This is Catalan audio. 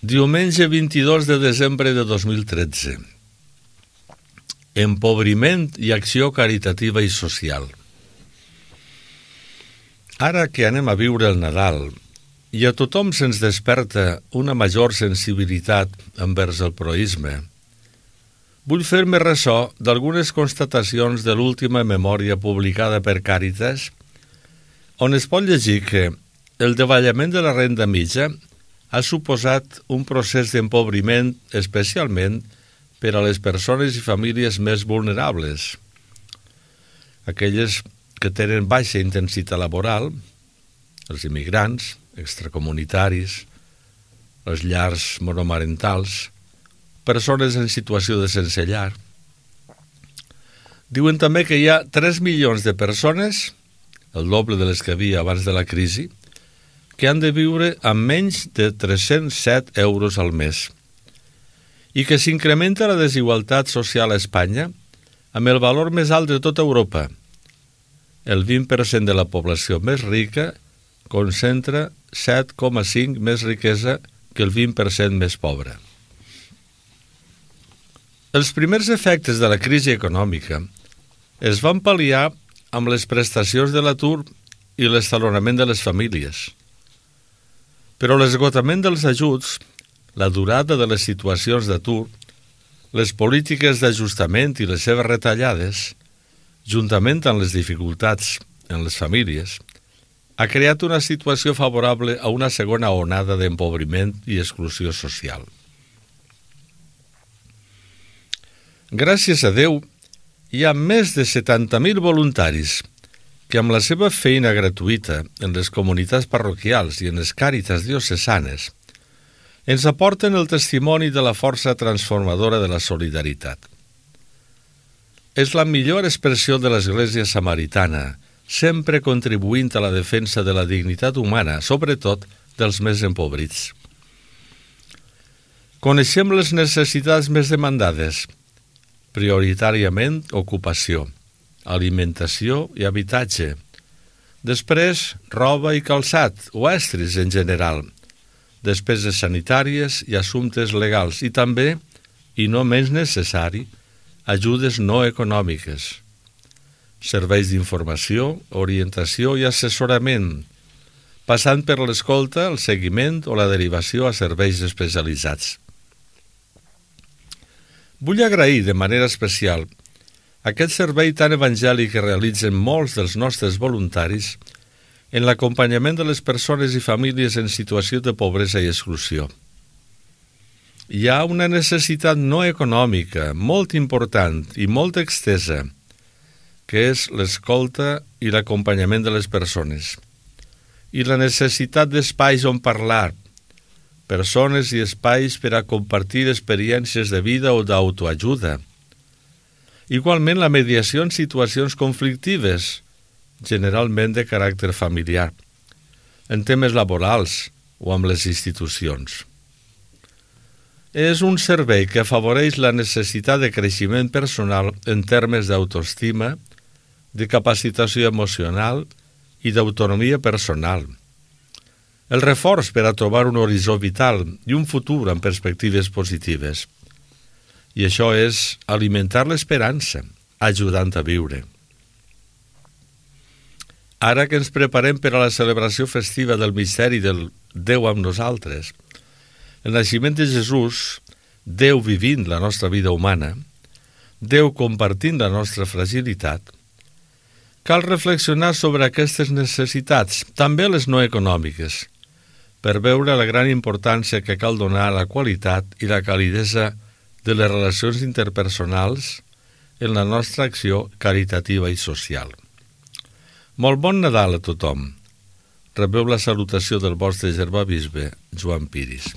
Diumenge 22 de desembre de 2013. Empobriment i acció caritativa i social. Ara que anem a viure el Nadal i a tothom se'ns desperta una major sensibilitat envers el proïsme, vull fer-me ressò d'algunes constatacions de l'última memòria publicada per Càritas, on es pot llegir que el davallament de la renda mitja ha suposat un procés d'empobriment especialment per a les persones i famílies més vulnerables, aquelles que tenen baixa intensitat laboral, els immigrants, extracomunitaris, les llars monomarentals, persones en situació de sense llar. Diuen també que hi ha 3 milions de persones, el doble de les que havia abans de la crisi, que han de viure amb menys de 307 euros al mes i que s'incrementa la desigualtat social a Espanya amb el valor més alt de tota Europa. El 20% de la població més rica concentra 7,5 més riquesa que el 20% més pobre. Els primers efectes de la crisi econòmica es van pal·liar amb les prestacions de l'atur i l'estalonament de les famílies. Però l'esgotament dels ajuts, la durada de les situacions d'atur, les polítiques d'ajustament i les seves retallades, juntament amb les dificultats en les famílies, ha creat una situació favorable a una segona onada d'empobriment i exclusió social. Gràcies a Déu, hi ha més de 70.000 voluntaris que amb la seva feina gratuïta en les comunitats parroquials i en les càritas diocesanes ens aporten el testimoni de la força transformadora de la solidaritat. És la millor expressió de l'Església Samaritana, sempre contribuint a la defensa de la dignitat humana, sobretot dels més empobrits. Coneixem les necessitats més demandades, prioritàriament ocupació, alimentació i habitatge. Després, roba i calçat, o estris en general, despeses sanitàries i assumptes legals i també, i no menys necessari, ajudes no econòmiques, serveis d'informació, orientació i assessorament, passant per l'escolta, el seguiment o la derivació a serveis especialitzats. Vull agrair de manera especial aquest servei tan evangèlic que realitzen molts dels nostres voluntaris en l'acompanyament de les persones i famílies en situació de pobresa i exclusió. Hi ha una necessitat no econòmica molt important i molt extesa, que és l'escolta i l'acompanyament de les persones, i la necessitat d'espais on parlar, persones i espais per a compartir experiències de vida o d'autoajuda. Igualment, la mediació en situacions conflictives, generalment de caràcter familiar, en temes laborals o amb les institucions. És un servei que afavoreix la necessitat de creixement personal en termes d'autoestima, de capacitació emocional i d'autonomia personal. El reforç per a trobar un horitzó vital i un futur amb perspectives positives. I això és alimentar l'esperança, ajudant a viure. Ara que ens preparem per a la celebració festiva del misteri del Déu amb nosaltres, el naixement de Jesús, Déu vivint la nostra vida humana, Déu compartint la nostra fragilitat, cal reflexionar sobre aquestes necessitats, també les no econòmiques, per veure la gran importància que cal donar a la qualitat i la calidesa de les relacions interpersonals en la nostra acció caritativa i social. Molt bon Nadal a tothom. Rebeu la salutació del vostre germà bisbe, Joan Piris.